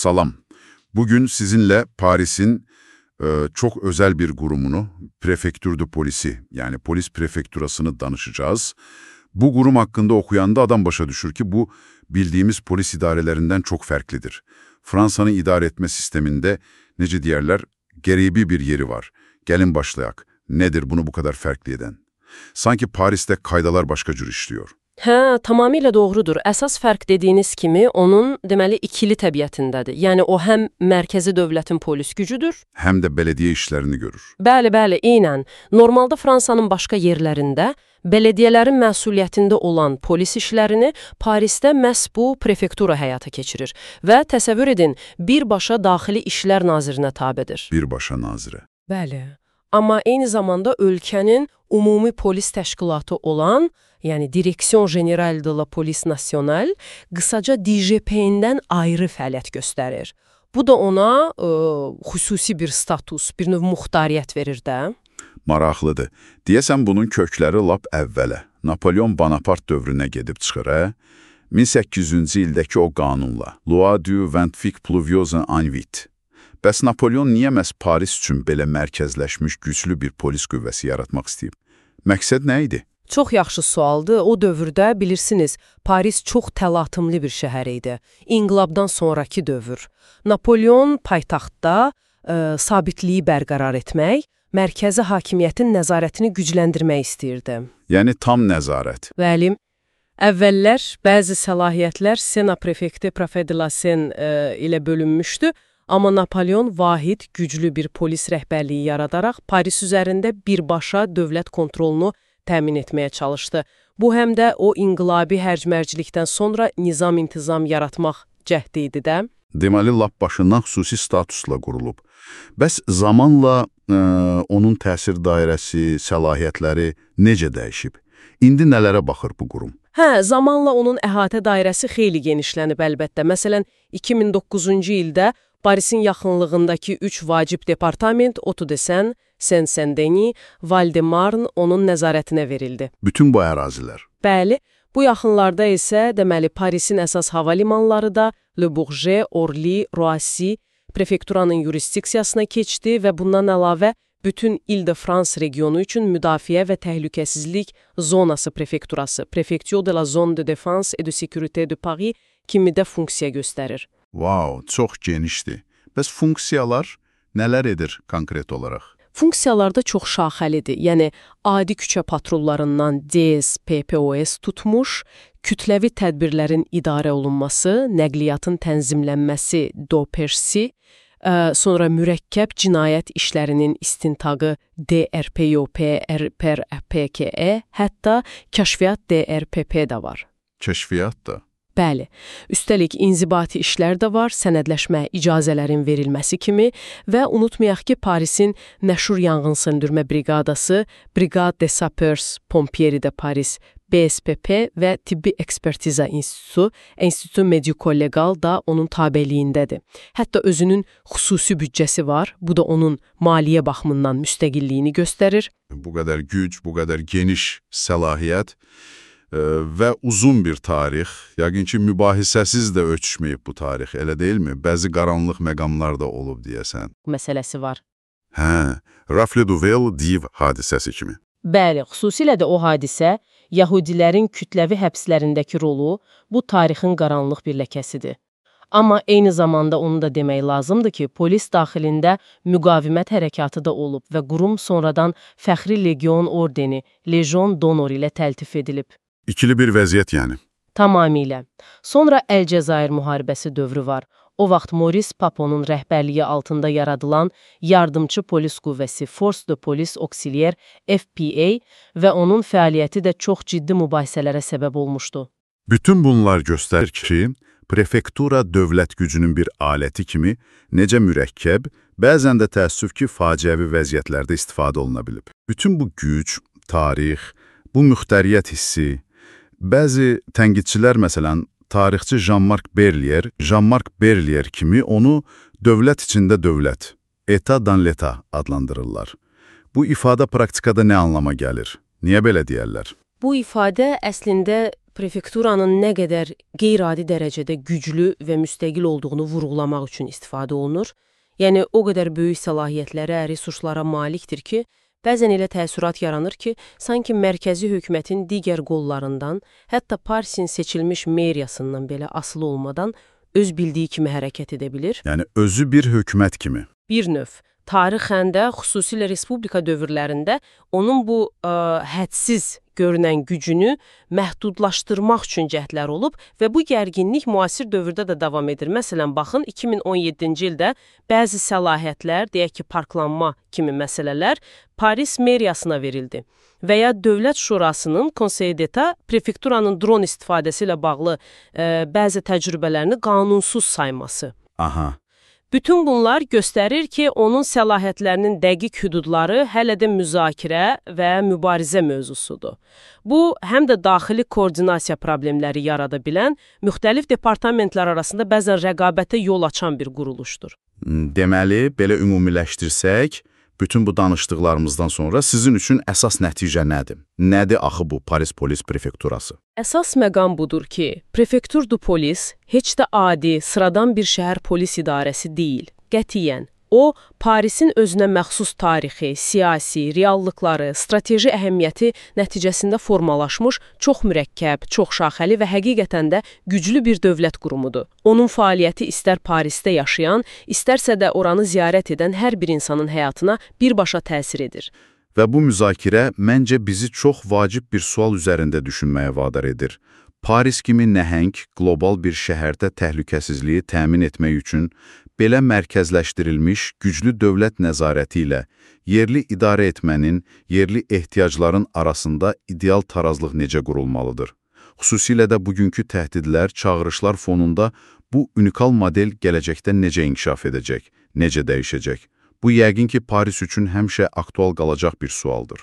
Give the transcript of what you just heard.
Salam. Bugün sizinle Paris'in çok özel bir kurumunu, Prefecture de Police'i yani polis prefekturasını danışacağız. Bu kurum hakkında okuyanda adam başa düşür ki bu bildiğimiz polis idarelerinden çok farklıdır. Fransa'nın idare etme sisteminde nece diyerler geribi bir yeri var. Gelin başlayak. Nedir bunu bu kadar farklı eden? Sanki Paris'te kaydalar başka cür işliyor. Hə, tamamilə doğrudur. Əsas fərq dediyiniz kimi onun deməli ikili təbiətindədir. Yəni o həm mərkəzi dövlətin polis gücüdür. Hem de belediye işlerini görür. Bəli, eynən. Normalda Fransanın başqa yerlərində bələdiyyələrin məsuliyyətində olan polis işlərini Parisdə məhz bu prefektura həyata keçirir və təsəvvür edin, birbaşa Daxili İşlər Nazirinə tabedir. Birbaşa nazire. Bəli. Amma eyni zamanda ölkənin ümumi polis təşkilatı olan, yəni Direksiyon General de la Police Nationale, qısaca DGP-dən ayrı fəaliyyət göstərir. Bu da ona xüsusi bir status, bir növ muxtariyyət verir də. Maraqlıdır. Deyəsən bunun kökləri lap əvvələ, Napolyon Bonaparte dövrünə gedib çıxır, 1800-cü ildəki o qanunla, Loi du 28 Pluviose en Vite. Bəs Napolyon niyə məhz Paris üçün belə mərkəzləşmiş güclü bir polis qüvvəsi yaratmaq istəyib? Məqsəd nə idi? Çox yaxşı sualdır. O dövrdə bilirsiniz, Paris çox təlatümlü bir şəhər idi. İnqilabdan sonraki dövr. Napolyon paytaxtda sabitliyi bərqərar etmək, mərkəzi hakimiyyətin nəzarətini gücləndirmək istəyirdi. Yəni tam nəzarət. Bəli. Əvvəllər bəzi səlahiyyətlər Sena prefekti Prefet de la Seine ilə bölünmüşdü. Amma Napolyon vahid, güclü bir polis rəhbərliyi yaradaraq Paris üzərində birbaşa dövlət kontrolunu təmin etməyə çalışdı. Bu həm də o inqilabi hərcmərcilikdən sonra nizam-intizam yaratmaq cəhdi idi də. Deməli, lap başından xüsusi statusla qurulub. Bəs zamanla onun təsir dairəsi, səlahiyyətləri necə dəyişib? İndi nələrə baxır bu qurum? Zamanla onun əhatə dairəsi xeyli genişlənib əlbəttə. Məsələn, 2009-cu ildə Parisin yaxınlığındakı 3 vacib departament, Otu-de-Seine, Seine-Saint-Denis, Val-de-Marne onun nəzarətinə verildi. Bütün bu ərazilər. Bəli, bu yaxınlarda isə deməli Parisin əsas hava limanları da Le Bourget, Orly, Roissy prefekturanın yurisdiksiyasına keçdi və bundan əlavə bütün İl-de-France regionu üçün müdafiə və təhlükəsizlik zonası prefekturası, Prefecture de la Zone de Défense et de Sécurité de Paris kimi də funksiya göstərir. Wow, çox genişdir. Bəs funksiyalar nələr edir konkret olaraq? Funksiyalar da çox şaxəlidir. Yəni, adi küçə patrollarından DS, PPOS tutmuş, kütləvi tədbirlərin idarə olunması, nəqliyyatın tənzimlənməsi, DOPERSI, sonra mürəkkəb cinayət işlərinin istintaqı DRPOP, RPRPKE, hətta kəşfiyyat DRPP də var. Kəşfiyyat da? Bəli, üstəlik inzibati işlər də var, sənədləşmə icazələrin verilməsi kimi və unutmayaq ki, Parisin məşhur yanğın söndürmə briqadası, Brigade des Sapeurs Pompiers de Paris, BSPP və Tibbi Ekspertiza İnstitutu, İnstitut Medico-Legal da onun tabeliyindədir. Hətta özünün xüsusi büdcəsi var, bu da onun maliyyə baxımından müstəqilliyini göstərir. Bu qədər güc, bu qədər geniş səlahiyyət və uzun bir tarix, yəqin ki, mübahisəsiz də ölçüşməyib bu tarix, elə deyilmi? Bəzi qaranlıq məqamlar da olub deyəsən. Məsələsi var. Rafle Duvel Div hadisəsi kimi. Bəli, xüsusilə də o hadisə, Yahudilərin kütləvi həbslərindəki rolu bu tarixin qaranlıq bir ləkəsidir. Amma eyni zamanda onu da demək lazımdır ki, polis daxilində müqavimət hərəkatı da olub və qurum sonradan Fəxri Legion ordeni, Legion d'Honneur ilə təltif edilib. İkili bir vəziyyət yəni. Tamamilə. Sonra Əlcəzair müharibəsi dövrü var. O vaxt Maurice Paponun rəhbərliyi altında yaradılan yardımçı polis qüvvəsi Force de Police Auxiliaire FPA və onun fəaliyyəti də çox ciddi mübahisələrə səbəb olmuşdu. Bütün bunlar göstərir ki, prefektura dövlət gücünün bir aləti kimi necə mürəkkəb, bəzən də təəssüf ki, faciəvi vəziyyətlərdə istifadə oluna bilib. Bütün bu güc, tarix, bu müxtəriyyət hissi, bəzi tənqidçilər məsələn, tarixçi Jean-Marc Berlier kimi onu dövlət içində dövlət, État dans l'État adlandırırlar. Bu ifadə praktikada nə anlama gəlir? Niyə belə deyərlər? Bu ifadə əslində prefekturanın nə qədər qeyri-adi dərəcədə güclü və müstəqil olduğunu vurğulamaq üçün istifadə olunur. Yəni, o qədər böyük səlahiyyətlərə, resurslara malikdir ki, bəzən elə təəssürat yaranır ki, sanki mərkəzi hökumətin digər qollarından, hətta Parisin seçilmiş meriyasından belə asılı olmadan öz bildiyi kimi hərəkət edə bilir. Yəni, özü bir hökumət kimi. Bir növ. Tarixən də, xüsusilə respublika dövrlərində onun bu hədsiz görünən gücünü məhdudlaşdırmaq üçün cəhdlər olub və bu gərginlik müasir dövrdə də davam edir. Məsələn, baxın, 2017-ci ildə bəzi səlahiyyətlər, deyək ki, parklanma kimi məsələlər Paris meriyasına verildi və ya Dövlət Şurasının Conseil d'Etat prefekturanın dron istifadəsi ilə bağlı bəzi təcrübələrini qanunsuz sayması. Aha. Bütün bunlar göstərir ki, onun səlahiyyətlərinin dəqiq hüdudları hələ də müzakirə və mübarizə mövzusudur. Bu, həm də daxili koordinasiya problemləri yarada bilən, müxtəlif departamentlər arasında bəzən rəqabətə yol açan bir quruluşdur. Deməli, belə ümumiləşdirsək, bütün bu danışdıqlarımızdan sonra sizin üçün əsas nəticə nədir? Nədir axı bu Paris Polis Prefekturası? Əsas məqam budur ki, Prefektur du Polis heç də adi, sıradan bir şəhər polis idarəsi deyil. Qətiyyən. O, Parisin özünə məxsus tarixi, siyasi, reallıqları, strateji əhəmiyyəti nəticəsində formalaşmış çox mürəkkəb, çox şaxəli və həqiqətən də güclü bir dövlət qurumudur. Onun fəaliyyəti istər Parisdə yaşayan, istərsə də oranı ziyarət edən hər bir insanın həyatına birbaşa təsir edir. Və bu müzakirə məncə bizi çox vacib bir sual üzərində düşünməyə vadar edir. Paris kimi nəhəng, qlobal bir şəhərdə təhlükəsizliyi təmin etmək üçün belə mərkəzləşdirilmiş güclü dövlət nəzarəti ilə yerli idarə etmənin, yerli ehtiyacların arasında ideal tarazlıq necə qurulmalıdır? Xüsusilə də bugünkü təhdidlər, çağırışlar fonunda bu unikal model gələcəkdə necə inkişaf edəcək, necə dəyişəcək? Bu yəqin ki, Paris üçün həmişə aktual qalacaq bir sualdır.